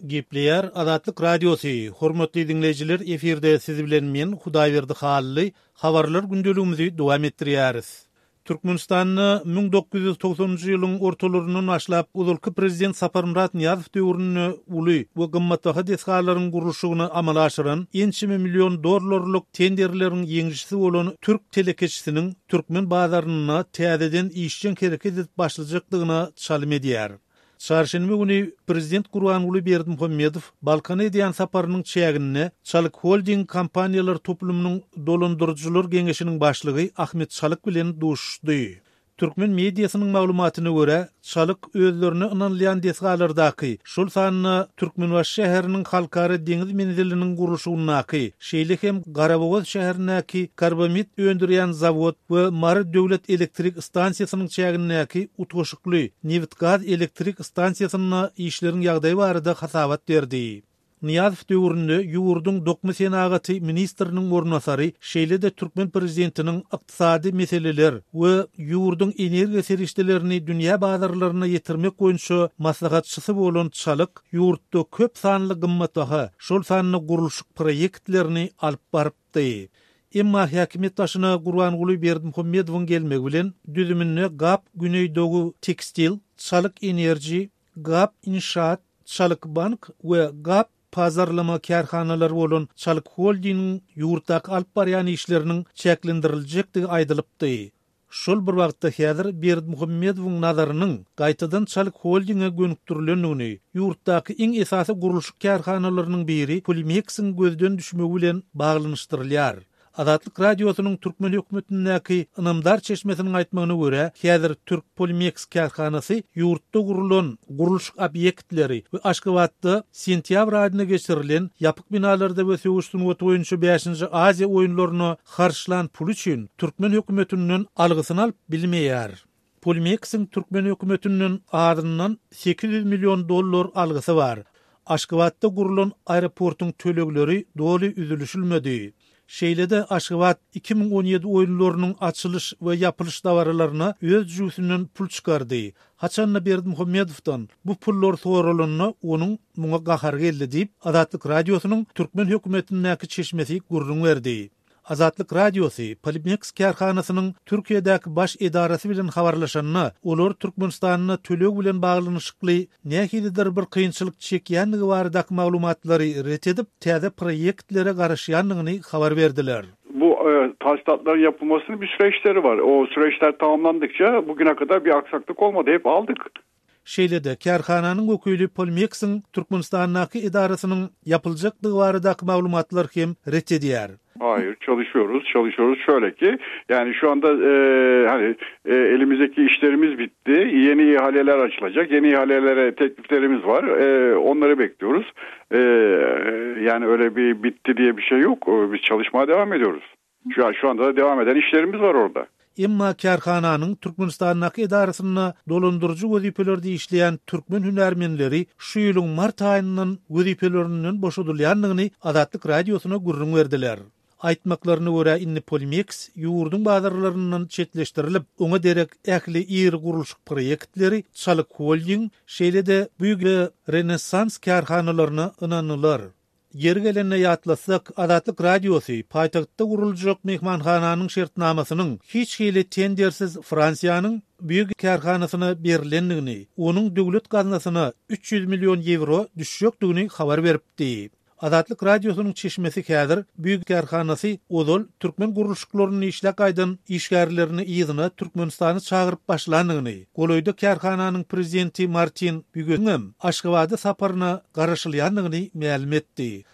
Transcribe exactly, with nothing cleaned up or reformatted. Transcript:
Gepleýär Azatlyk Radiosy, hormatly diňleýjiler, efirde siz bilen men Hudaýberdi Hally, habarlar gündeligimizi dowam etdirýäris. Türkmenistanda müň dokuz ýüz togsanynjy ýylyň ortalaryndan başlap ozalky prezident Saparmyrat Nyýazow döwründe uly we gymmatbaha desgalaryň gurluşygyny amala aşyran ençeme million dollarlyk tenderleriň ýeňijisi bolan türk telekeçisiniň türkmen bazarynda täzeden işjeň hereket edip başlajakdygyna çalym edýär. Çarşenbe güni prezident Gurbanguly Berdimuhamedow Balkana edýän saparynyň çäginde Çalyk Holding kompaniýalar toplumynyň dolandyryjylar geňeşiniň başlygy Ahmet Çalyk bilen duşuşdy. Türkmen mediasynyň maglumatyna görä, Çalyk özlerine ynanylýan desgalardaky, şol sanda Türkmenbaşy şäheriniň halkara deňiz menziliniň gurluşygyndaky, şeýle hem Garabogaz şäherindäki karbamid öndürýän zawod we Mary döwlet elektrik stansiýasynyň çägindäki utgaşykly nebit-gaz elektrik stansiýasynda işleriň ýagdaýy barada hasabat berdi. Nyýazow döwründe ýurduň dokma senagaty ministriniň orunbasary, şeýle-de türkmen prezidentiniň ykdysady meseleler we ýurduň energiýa serişdelerini dünýä bazarlaryna ýetirmek boýunça maslahatçysy bolan Çalyk ýurtda köp sanly gymmatbaha, şol sanda gurluşyk proýektlerini alyp barypdy. Emma häkimiýet başyna Gurbanguly Berdimuhamedowyň gelmegi bilen düzüminde Gap Güneydoğu Tekstil, Çalyk Enerji, Gap Inşaat, Çalyk Bank we Gap pazarlama kärhanalary bolan Çalyk Holdingiň ýurtdaky alyp barýan işleriniň çäklendiriljekdigi aýdylypdy. Şol bir wagtda häzir Berdimuhamedowyň nazarynyň gaýtadan Çalyk Holdinge gönükdirilendigini, ýurtdaky iň esasy gurluşyk kärhanalarynyň biri Polimeksiň gözden düşmegi bilen baglanyşdyrylýar. Azatlyk Radiosynyň türkmen hökümetindäki ynamdar çeşmesiniň aýtmagyna görä, häzir Türk Polimeks kärhanasy ýurtda gurulan gurluşyk obýektleri we Aşgabatda sentýabr aýynda geçirilen ýapyk binalarda we söweş sungaty boýunça bäşinji Aziýa oýunlaryna harçlan pul üçin türkmen hökümetinden algysyny alyp bilmeýär. Polimeksiň türkmen hökümetinden azyndan sekiz ýüz million dollar algysy bar. Aşgabatda gurulan aeroportuň tölegleri doly üzülişilmedi. Şeýle-de Aşgabat iki müň on ýedi oýunlarynyň açylyş we ýapylyş dabaralaryna öz jübüsinden pul çykardy. Haçanda Berdimuhamedowdan bu pullar soralanda onuň muňa gahary geldi diýip, Azatlyk Radiosynyň türkmen hökümetindäki çeşmesi gürrüň berdi. Azatlyk Radiosy Polimeks kärhanasynyň Türkiýedäki baş edarasy bilen habarlaşanda, olar Türkmenistanda töleg bilen baglanyşykly nähilidir bir kynçylyk çekýändigi baradaky maglumatlary ret edip, täze proýektlere garaşýandygyny habar berdiler. Bu, e, tahsilatların yapılmasının bir süreçleri var. O süreçler tamamlandıkça bugüne kadar bir aksaklık olmadı. Hep aldık. Şeýle-de kärhananyň wekili Polimeksiň Türkmenistandaky edarasynyň ýapyljakdygy baradaky maglumatlar hem ret edýär. Hayır, çalışıyoruz, çalışıyoruz. Şöyle ki, yani şu anda, e, hani, e, elimizdeki işlerimiz bitti. Yeni ihaleler açılacak. Yeni ihalelere tekliflerimiz var. E, onları bekliyoruz. E, yani öyle bir bitti diye bir şey yok. E, biz çalışmaya devam ediyoruz. Şu an, şu anda da devam eden işlerimiz var orada. Emma kärhananyň Türkmenistandaky edarasynda dolandyryjy wezipelerde işleýän türkmen hünärmenleri şu ýylyň mart aýyndan wezipelerinden boşadylýandygyny Azatlyk Radiosyna gürrüň berdiler. Aýtmaklaryna görä indi Polimeks ýurduň bazarlaryndan çetleşdirilip, oňa derek ähli iri gurluşyk proýektleri Çalyk Holding, şeýle-de Büyük Renessans kärhanalaryna ynanylar. Ýeri gelende ýatlasak, Azatlyk Radiosy paýtagtda guruljak mehmanhananyň şertnamasynyň hiç hili tendersiz Fransiýanyň büyük kärhanasyna berilendigini, onuň döwlet gaznasyna üç ýüz million ýewro düşjekdigini habar beripdi. Azatlyk Radiosynyň çeşmesi häzir büyük kärhanasy ozal türkmen gurluşyklaryny işläp gaýdan işgärlerini yzyna Türkmenistany çagyryp başlandygyny, golaýda kärhananyň prezidenti Martin Bügöňem Aşgabada saparyna garaşylýandygyny mälim etdi.